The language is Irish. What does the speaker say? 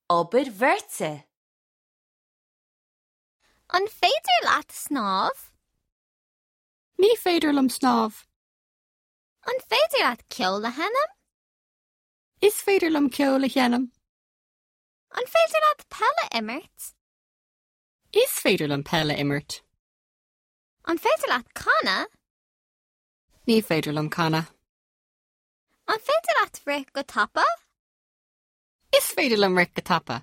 Obair bheirte. An féidir leat snámh? Ní féidir liom snámh. An féidir leat ceol a sheinm? Is féidir liom ceol a sheinm. An féidir leat peil a imirt? Is féidir liom peil a imirt. An féidir leat canadh? Ní féidir liom canadh. An féidir leat rith go tapa? Is féidir liom rith go tapa.